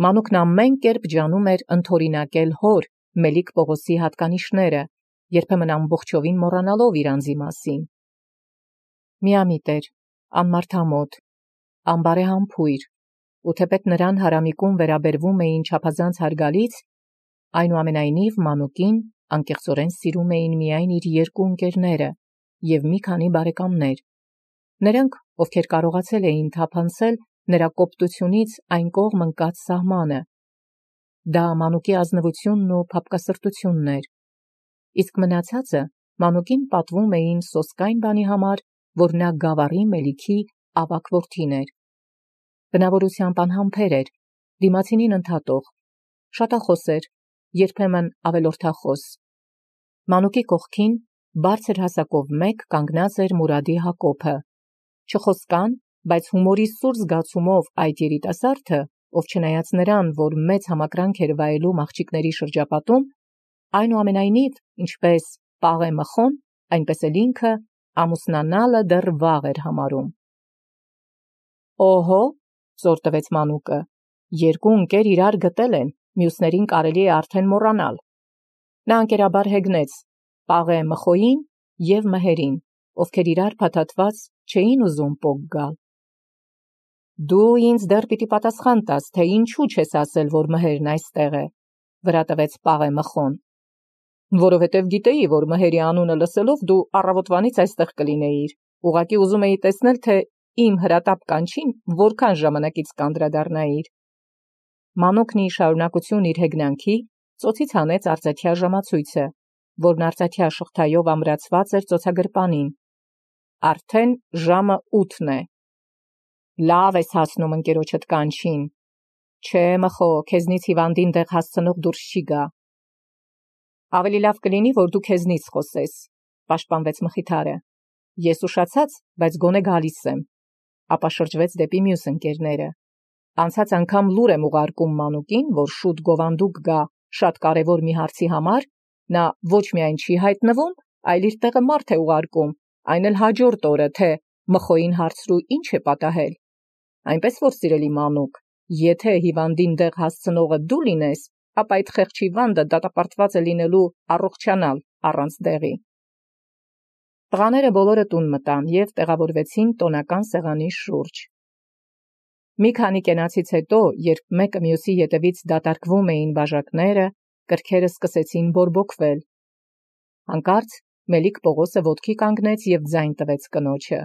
Մանուկն ամեն կերպ ջանում էր ընթորինակել հոր Մելիք Պողոսի հատկանիշները, երբեմն ամբողջովին մոռանալով իր անձի մասին։ Միամիտ էր, անմարդամոտ, անբարեհամբույր, ու թեպետ նրան հարամիկում վերաբերվում էին չափազանց հարգալից, այնուամենայնիվ Մանուկին անկեղծորեն սիրում էին միայն իր երկու ընկերները և մի քանի բարեկամներ, նրանք, ովքեր կարողացել էին թափանցել նրա կոպտությունից այն կողմ ընկած սահմանը։ Դա Մանուկի ազնվությունն ու փափկասրտությունն էր, իսկ մնացածը Մանուկին պատվում էին սոսկայն բանի համար, որ նա Գավառի Մելիքի ավագ որդին էր։ Բնավորությամբ անհամբեր էր, դիմացինին ընդհատող, շատախոս էր, երբեմն ավելորդախոս։ Մանուկի կողքին բարձր հասակով մեկ կանգնած էր Մուրադի Հակոբը, չխոսկան, բայց հումորի սուր զգացումով այդ երիտասարդը, ով չնայած նրան, որ մեծ համակրանք էր վայելում աղջիկների շրջապատում, այնուամենայնիվ, ինչպես Պաղե Մխոն, այնպես էլ ինքը ամուսնանալը դեռ վաղ էր համարում։ Օհո, ծոր տվեց Մանուկը, երկու ընկեր իրար գտել են, մյուսներին կարելի է արդեն մոռանալ։ Նա անկերաբար հեգնեց Պաղե Մխոյին և Մհերին, ովքեր իրար փաթաթված չէին ուզում պոկ գալ։ Դու ինձ դեռ պիտի պատասխան տաս, թե ինչու չես ասել, որ Մհերն այստեղ է, վրա տվեց Պաղե Մխոն։ Որովհետև գիտեի, որ Մհերի անունը լսելով դու առավոտվանից այստեղ կլինեիր, ուղղակի ուզում էի տեսնել, թե իմ հրատապ կանչին որքան ժամանակից կանդրադառնայիր։ Մանուկն ի շարունակություն իր հեգնանքի ծոցից հանեց արծաթյա ժամացույցը, որն արծաթյա շղթայով ամրացված էր ծոցագրպանին։ Արդեն ժամը 8 է։ Լավ ես հասնում ընկերոջդ կանչին։ Չէ, Մխո, քեզնից հիվանդին դեղ հասցնող դուրս չի գա։ Ավելի լավ կլինի, որ դու քեզնից խոսես, պաշտպանվեց Մխիթարը։ Ես ուշացած, բայց գոնե գալիս եմ, ապա շրջվեց դեպի մյուս ընկերները։ Անցած անգամ լուր եմ ուղարկում Մանուկին, որ շուտ գովանդուկ գա շատ կարևոր մի հարցի համար, նա ոչ միայն չի հայտնվում, այլ իր տեղը մարդ է ուղարկում, այն էլ հաջորդ օրը, թե Մխոյին հարցրու ինչ է պատահել։ Այնպես որ, սիրելի Մանուկ, եթե հիվանդին դեղ հասցնողը դու լինես, ապա այդ խեղճ հիվանդը դատապարտված է լինելու առողջանալ առանց դեղի։ Տղաները բոլորը տուն մտան և տեղավորվեցին տոնական սեղանի շուրջ։ Մի քանի կենացից հետո, երբ մեկը մյուսի ետևից դատարկվում էին բաժակները, կրքերը սկսեցին բորբոքվել։ Հանկարծ Մելիք Պողոսը ոտքի կանգնեց և ձայն տվեց կնոջը.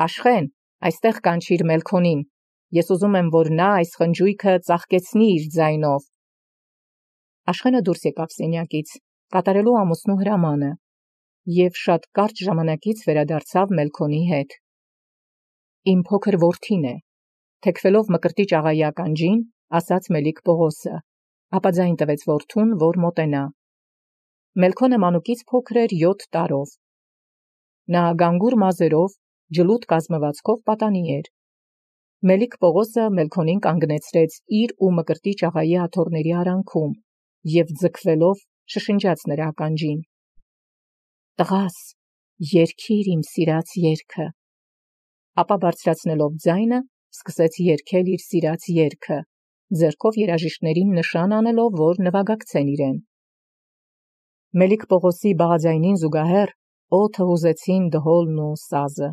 Աշխեն, այստեղ կանչիր Մելքոնին, ես ուզում եմ, որ նա այս խնջույքը ծաղկեցնի իր ձայնով։ Աշխենը դուրս եկավ սենյակից, կատարելու ամուսնու հրամանը, և շատ կարճ ժամանակից վերադարձավ Մելքոնի հետ։ Իմ փոքր որդին է, թեքվելով Մկրտիչ աղայի ականջին, ասաց Մելիք Պողոսը, ապա ձայն տվեց որդուն, որ մոտենա։ Մելքոնը Մանուկից փոքր էր 7 տարով։ Նա գանգուր մազերով, ջլուտ կազմվածքով պատանի էր։ Մելիք Պողոսը Մելքոնին կանգնեցրեց իր ու Մկրտիչ աղայի աթոռների արանքում և ձգվելով շշնջաց նրա ականջին. Տղաս, երգիր իմ սիրած երգը։ Ապա բարձրացնելով ձայնը, սկսեց երգել իր սիրած երգը, ձեռքով երաժիշտներին նշան անելով, որ նվագակցեն իրեն։ Մելիք Պողոսի բաղաձայնին զուգահեռ օդը հուզեցին դհոլն ու սազը։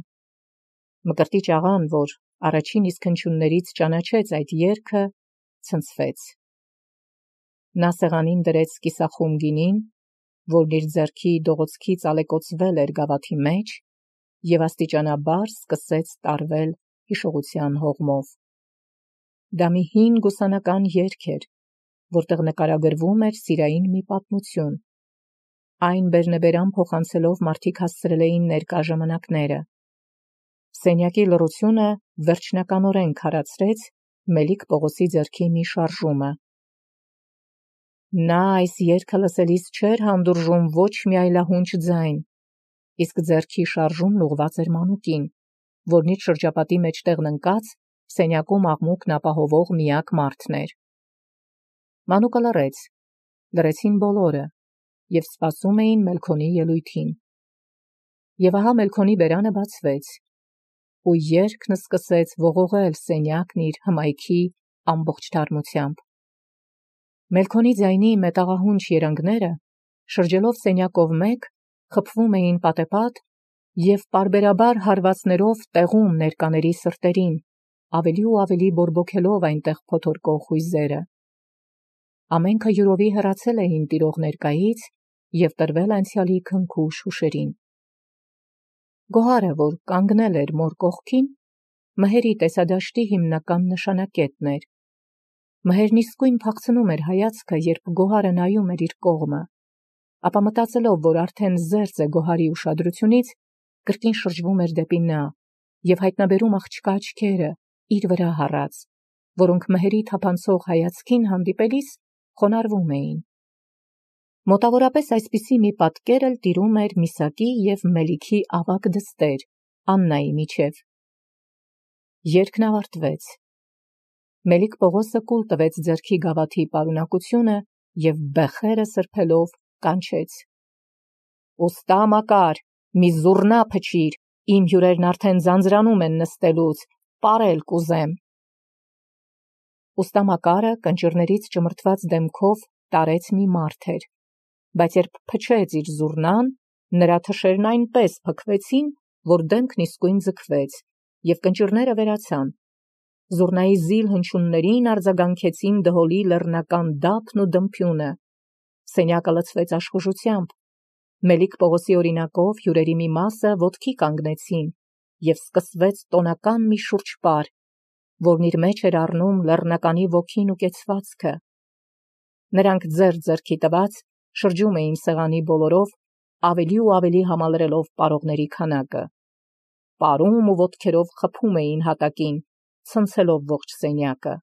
Մկրտիչ աղան, որ առաջին իսկ հնչյուններից ճանաչեց այդ երգը, ցնցվեց։ Նա սեղանին դրեց կիսախում գինին, որն իր ձեռքի դողոցքից ալեկոծվել էր գավաթի մեջ, և աստիճանաբար սկսեց տարվել հիշողության հողմով։ Դա մի հին գուսանական երգ էր, որտեղ նկարագրվում էր սիրային մի պատմություն։ Այն բերնեբերան փոխանցելով մարդիկ հասցրել էին ներկա ժամանակները։ Սենյակի լռությունը վերջնականորեն քարացրեց Մելիք Պողոսի ձեռքի մի շարժումը։ Նա այս երգը լսելիս չէր հանդուրժում ոչ մի այլահունչ ձայն, իսկ ձեռքի շարժումն ուղղված էր Մանուկին, որն իր շրջապատի մեջտեղն ընկած սենյակում աղմուկն ապահովող միակ մարդն էր։ Մանուկը լռեց, լռեցին բոլորը և սպասում էին Մելքոնի ելույթին։ Եվ ահա Մելքոնի բերանը բացվեց, ու երգն սկսեց ողողել սենյակն իր հմայքի ամբողջ թարմությամբ։ Մելքոնի ձայնի մետաղահունչ երանգները, շրջելով սենյակով մեկ, խփվում էին պատեպատ և պարբերաբար հարվածներով տեղում ներկաների սրտերին, ավելի ու ավելի բորբոքելով այնտեղ փոթորկող հույզերը։ Ամենքը յուրովի հեռացել էին տիրող ներկայից և տրվել անցյալի քնքուշ հուշերին։ Գոհարը, որ կանգնել էր մոր կողքին, Մհերի տեսադաշտի հիմնական նշանակետն էր։ Մհերն իսկույն փախցնում էր հայացքը, երբ Գոհարը նայում էր իր կողմը, ապա մտածելով, որ արդեն զերծ է Գոհարի ուշադրությունից, կրկին շրջվում էր դեպի նա և հայտնաբերում աղջկա աչքերը իր վրա հառած, որոնք Մհերի թափանցող հայացքին հանդիպելիս խոնարհվում էին։ Մոտավորապես այսպիսի մի պատկեր էլ տիրում էր Միսակի և Մելիքի ավագ դստեր Աննայի միջև։ Երգն ավարտվեց։ Մելիք Պողոսը կուլ տվեց ձեռքի գավաթի պարունակությունը և բեխերը սրբելով կանչեց. «Ուստա Մակար, մի զուռնա փչիր, իմ հյուրերն արդեն ձանձրանում են նստելուց, պարել կուզեմ»։ Ուստա Մակարը կնճիռներից ճմրթված դեմքով տարեց մի մարդ էր, բայց երբ փչեց իր զուռնան, նրա թշերն այնպես փքվեցին, որ դեմքն իսկույն ձգվեց, և կնճիռները վերացան։ Զուռնայի զիլ հնչյուններին արձագանքեցին դհոլի լեռնական դափն ու դմփյունը։ Սենյակը լցվեց աշխուժությամբ։ Մելիք Պողոսի օրինակով հյուրերի մի մասը ոտքի կանգնեցին, և սկսվեց տոնական մի շուրջպար, որն իր մեջ էր առնում լեռնականի ոգին ու կեցվածքը։ Նրանք ձեռք-ձեռքի տված շրջում էին սեղանի բոլորով, ավելի ու ավելի համալրելով պարողների քանակը։ Պարում ու ոտքերով խփում էին հատակին, ցնցելով ողջ սենյակը։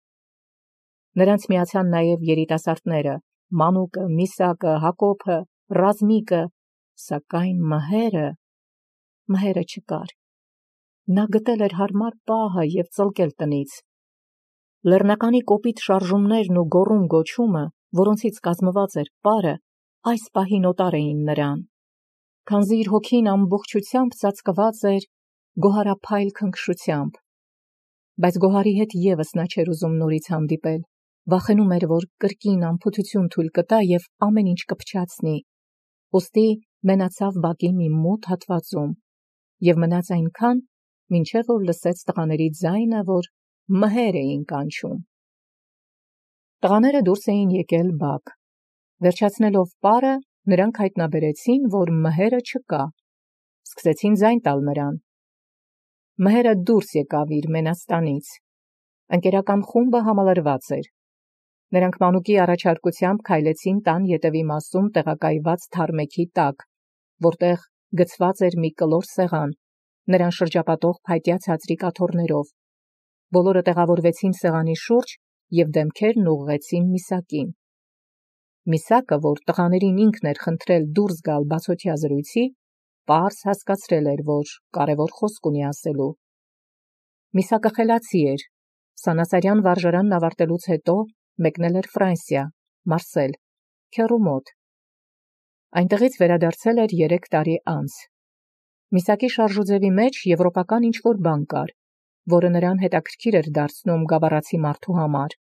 Նրանց միացան նաև երիտասարդները՝ Մանուկը, Միսակը, Հակոբը, Ռազմիկը, սակայն Մհերը չկար։ Նա գտել էր հարմար պահը և ծլկել տնից։ Լեռնականի կոպիտ շարժումներն ու գոռում գոչումը, որոնցից կազմված էր պարը, այս պահին օտար էին նրան, քանզի իր հոգին ամբողջությամբ ծածկված էր գոհարափայլ քնքշությամբ։ Բայց Գոհարի հետ ևս նա չէր ուզում նորից հանդիպել, վախենում էր, որ կրկին անփութություն թույլ կտա և ամեն ինչ կփչացնի։ Ուստի մենացավ բակի մի մութ հատվածում և մնաց այնքան, մինչև որ լսեց տղաների ձայնը, որ Մհեր էին կանչում։ Տղաները դուրս էին եկել բակ։ Վերջացնելով պարը, նրանք հայտնաբերեցին, որ Մհերը չկա։ Սկսեցին ձայն տալ նրան։ Մհերը դուրս եկավ իր մենաստանից։ Ընկերական խումբը համալրված էր։ Նրանք Մանուկի առաջարկությամբ քայլեցին տան ետևի մասում տեղակայված թարմեքի տակ, որտեղ գցված էր մի կլոր սեղան, նրան շրջապատող փայտյա ցածրիկ աթոռներով։ Բոլորը տեղավորվեցին սեղանի շուրջ և դեմքերն ուղղեցին Միսակին։ Միսակը, որ տղաներին ինքն էր խնդրել դուրս գալ բացօթյա զրույցի, պարզ հասկացրել էր, որ կարևոր խոսք ունի ասելու։ Միսակը խելացի էր, Սանասարյան վարժարանն ավարտելուց հետո մեկնել էր Ֆրանսիա, Մարսել, քեռու մոտ։ Այնտեղից վերադարձել էր 3 տարի անց։ Միսակի շարժուձևի մեջ եվրոպական ինչ-որ բան կար, որը նրան հետաքրքիր էր դարձնում գավառացի մարդու համար։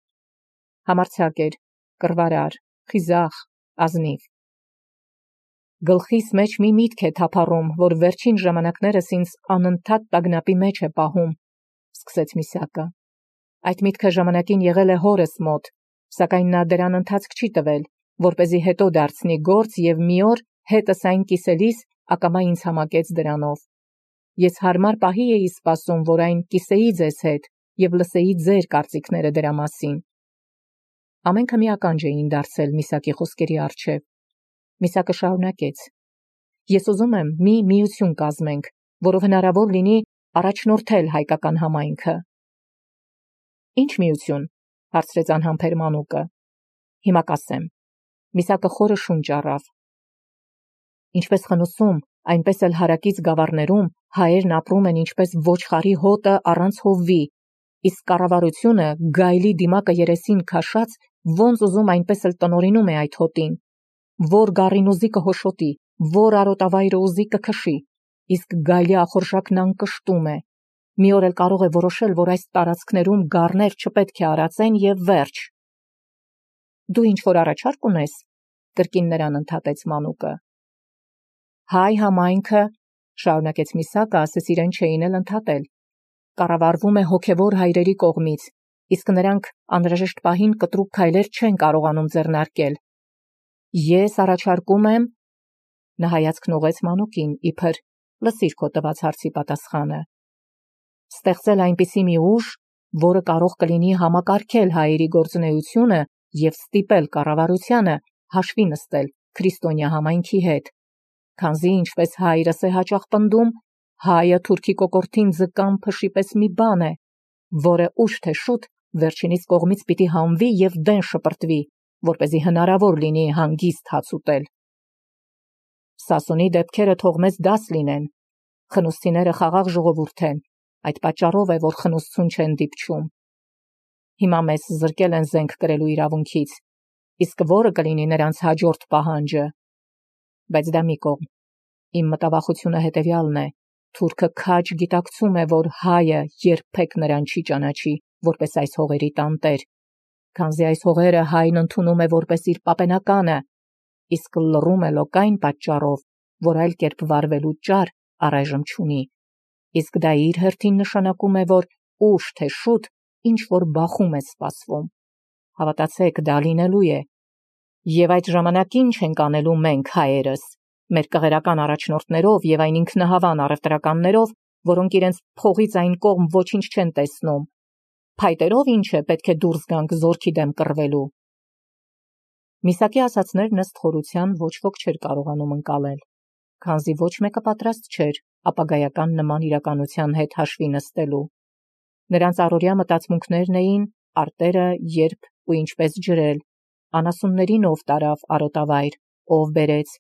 Համարձակ էր, կռվարար, խիզախ, ազնիվ։ Գլխիս մեջ մի միտք է թափառում, որ վերջին ժամանակներս ինձ անընդհատ տագնապի մեջ է պահում, սկսեց Միսակը։ Այդ միտքը ժամանակին եղել է հորս մոտ, սակայն նա դրան ընթացք չի տվել, որպեսզի հետո դարձնի գործ և մի օր հետս այն կիսելիս ակամա ինձ համակեց դրանով։ Ես հարմար պահի էի սպասում, որ այն կիսեի ձեզ հետ և լսեի ձեր կարծիքները դրա մասին։ Ամենքը մի ականջ էին դարձել Միսակի խոսքերի առջև։ Միսակը շարունակեց. Ես ուզում եմ մի միություն կազմենք, որով հնարավոր լինի առաջնորդել հայկական համայնքը։ Ինչ միություն, հարցրեց անհամբեր Մանուկը։ Հիմա կասեմ։ Միսակը խորը շունչ առավ։ Ինչպես Խնուսում, այնպես էլ հարակից գավառներում հայերն ապրում են ինչպես ոչխարի հոտը առանց հովվի, իսկ կառավարությունը գայլի դիմակը երեսին քաշած ոնց ուզում այնպես էլ տնօրինում է այդ հոտին։ Որ գառին ուզի կհոշոտի, որ արոտավայրը ուզի կքշի, իսկ գայլի ախորժակն անկշտում է։ Մի օր էլ կարող է որոշել, որ այս տարածքներում գառներ չպետք է արածեն եւ վերջ։ Դու ինչ-որ առաջարկ ունես, կրկին նրան ընդհատեց մանուկը։ Հայ համայնքը, շարունակեց Միսակը, ասես իրեն չէին էլ ընդհատել, կառավարվում է հոգևոր հայրերի կողմից, իսկ նրանք անհրաժեշտ պահին կտրուկ քայլեր չեն կարողանում ձեռնարկել։ Ես առաջարկում եմ, նա հայացքն ուղղեց մանուկին, իբր լսիր քո տված հարցի պատասխանը, ստեղծել այնպիսի մի ուժ, որը կարող կլինի համակարգել հայերի գործունեությունը եւ ստիպել կառավարությանը հաշվի նստել քրիստոնյա համայնքի հետ, քանզի ինչպես հայրս է հաճախ պնդում, հայը թուրքի կոկորդին ձկան փշի պես մի բան է, որը ուշ թե շուտ վերջինիս կողմից պիտի հանվի եւ դեն շպրտվի, որպեսզի հնարավոր լինի հանգիստ հաց ուտել։ Սասունի դեպքերը թող մեզ դաս լինեն, խնուստիները խաղաղ ժողովուրդ են, այդ պատճառով է, որ խնուսցուն չեն դիպչում։ Հիմա մեզ զրկել են զենք կրելու իրավունքից, իսկ որը կլինի նրանց հաջորդ պահանջը։ Բայց դա մի կողմ։ Իմ մտավախությունը հետևյալն է. թուրքը քաջ գիտակցում է, որ հայը երբեք նրան չի ճանաչի, որպես այս հողերի տանտեր, քանզի այս հողերը հայն ընդունում է որպես իր պապենականը, իսկ լռում է լոկայն պատճառով, որ այլ կերպ վարվելու ճար առայժմ չունի, իսկ դա իր հերթին նշանակում է, որ ուշ թե շուտ ինչ որ բախում է սպասվում։ Հավատացեք, դա լինելու է։ Եվ այդ ժամանակ ինչ ենք անելու մենք հայերս, մեր կղերական առաջնորդներով եւ այն ինքնահավան առևտրականներով, որոնք իրենց փողից այն կողմ ոչինչ չեն տեսնում։ Փայտերով ինչ է պետք է դուրս գանք զորքի դեմ կռվելու։ Միսակի ասածներն ըստ խորության ոչ ոք չէր կարողանում ընկալել, քանզի ոչ մեկը պատրաստ չէր ապագայական նման իրականության հետ հաշվի նստելու։ Նրանց առօրյա մտածմունքներն էին արտերը երբ ու ինչպես ջրել, անասուններին ով տարավ արոտավայր, ով բերեց,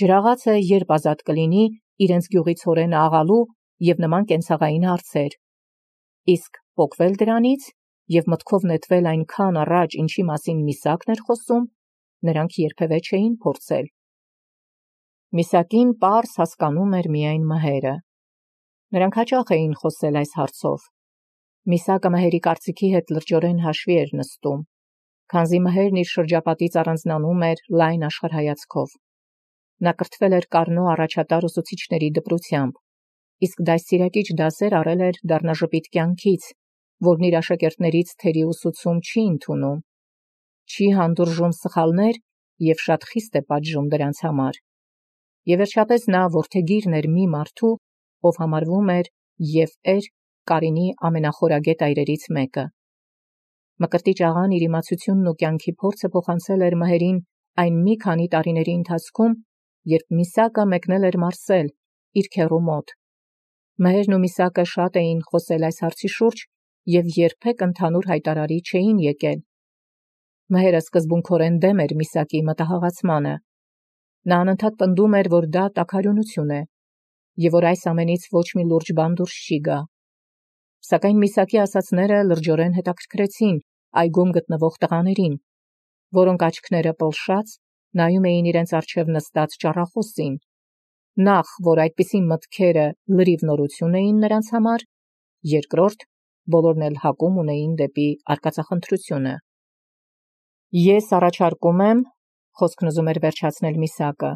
ջրաղացը երբ ազատ կլինի իրենց գյուղից հորեն աղալու եւ նման կենցաղային հարցեր։ Իսկ փոկվել դրանից եւ մտքով նետվել այնքան առաջ, ինչի մասին Միսակն էր խոսում, նրանք երբևէ չէին փորձել։ Միսակին պարզ հասկանում էր միայն Մհերը։ Նրանք հաճախ էին խոսել այս հարցով։ Միսակը Մհերի կարծիքի հետ լրջորեն հաշվի էր նստում, քանզի Մհերն իր շրջապատից առանձնանում էր լայն աշխարհայացքով։ Նա կրթվել էր Կառնո առաջատար ուսուցիչների դպրությամբ, իսկ դաստիարակիչ դասեր առել էր դառնաժպիտ կյանքից, որն իր աշակերտներից թերի ուսուցում չի ընդունում, չի հանդուրժում սխալներ եւ շատ խիստ է պատժում դրանց համար։ Եվ վերջապես նա որդեգիրն էր մի մարդու, ով համարվում էր եւ էր Կարինի ամենախորագետ այրերից մեկը։ Մկրտիչ աղան իր իմացությունն ու կյանքի փորձը փոխանցել էր Մհերին այն մի քանի տարիների ընթացքում, երբ Միսակը մեկնել էր Մարսել, իր քեռու մոտ։ Մհերն ու Միսակը շատ էին խոսել այս հարցի շուրջ եւ երբեք ընդհանուր հայտարարի չէին եկել։ Մհերը սկզբունքորեն դեմ էր Միսակի մտահղացմանը։ Նա անընդհատ պնդում էր, որ դա տաքարյունություն է եւ որ այս ամենից ոչ մի լուրջ բան դուրս չի գա։ Սակայն Միսակի ասածները լրջորեն հետաքրքրեցին այգում գտնվող տղաներին, որոնք աչքները պլշած նայում էին իրենց առջև նստած ճառախոսին, նախ, որ այդպիսի մտքերը լրիվ նորություն էին նրանց համար, երկրորդ, բոլորն էլ հակում ունեին դեպի արկածախնդրությունը։ Ես առաջարկում եմ, խոսքն ուզում էր վերջացնել Միսակը,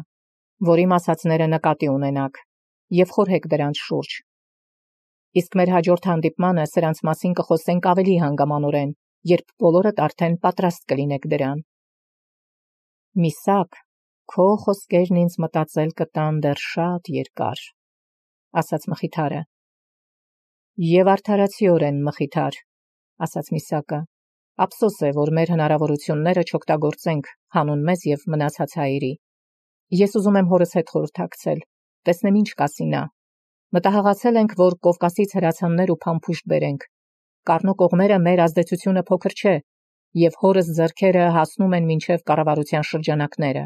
որ իմ ասածները նկատի ունենաք եւ խորհեք դրանց շուրջ։ Իսկ մեր հաջորդ հանդիպմանը սրանց մասին կխոսենք ավելի հանգամանորեն, երբ բոլորդ արդեն պատրաստ կլինեք դրան։ Միսակ, քո խոսքերն ինձ մտածել կտան դեռ շատ երկար, ասաց Մխիթարը։ Եվ արդարացիորեն, Մխիթար, ասաց Միսակը, ափսոս է, որ մեր հնարավորությունները չօգտագործենք հանուն մեզ եւ մնացած հայերի։ Ես ուզում եմ հորս հետ խորհրդակցել, տեսնեմ ինչ կասի նա։ Մտահղացել ենք, որ Կովկասից հրացաններ ու փամփուշտ բերենք։ Կառնո կողմերը մեր ազդեցությունը փոքր չէ, եւ հորս ձեռքերը հասնում են մինչև կառավարության շրջանակները։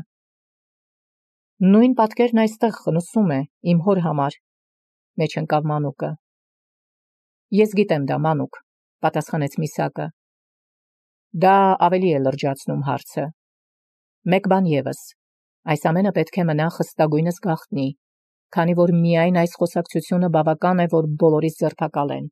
Նույն պատկերն այստեղ խնուսում է իմ հոր համար, մեջ ընկավ Մանուկը։ Ես գիտեմ դա, Մանուկ, պատասխանեց Միսակը։ Դա ավելի է լրջացնում հարցը։ Մեկ բան եւս, այս ամենը պետք է մնա խստագույնս գաղտնի, քանի որ միայն այս խոսակցությունը բավական է, որ բոլորիս ձերբակալեն։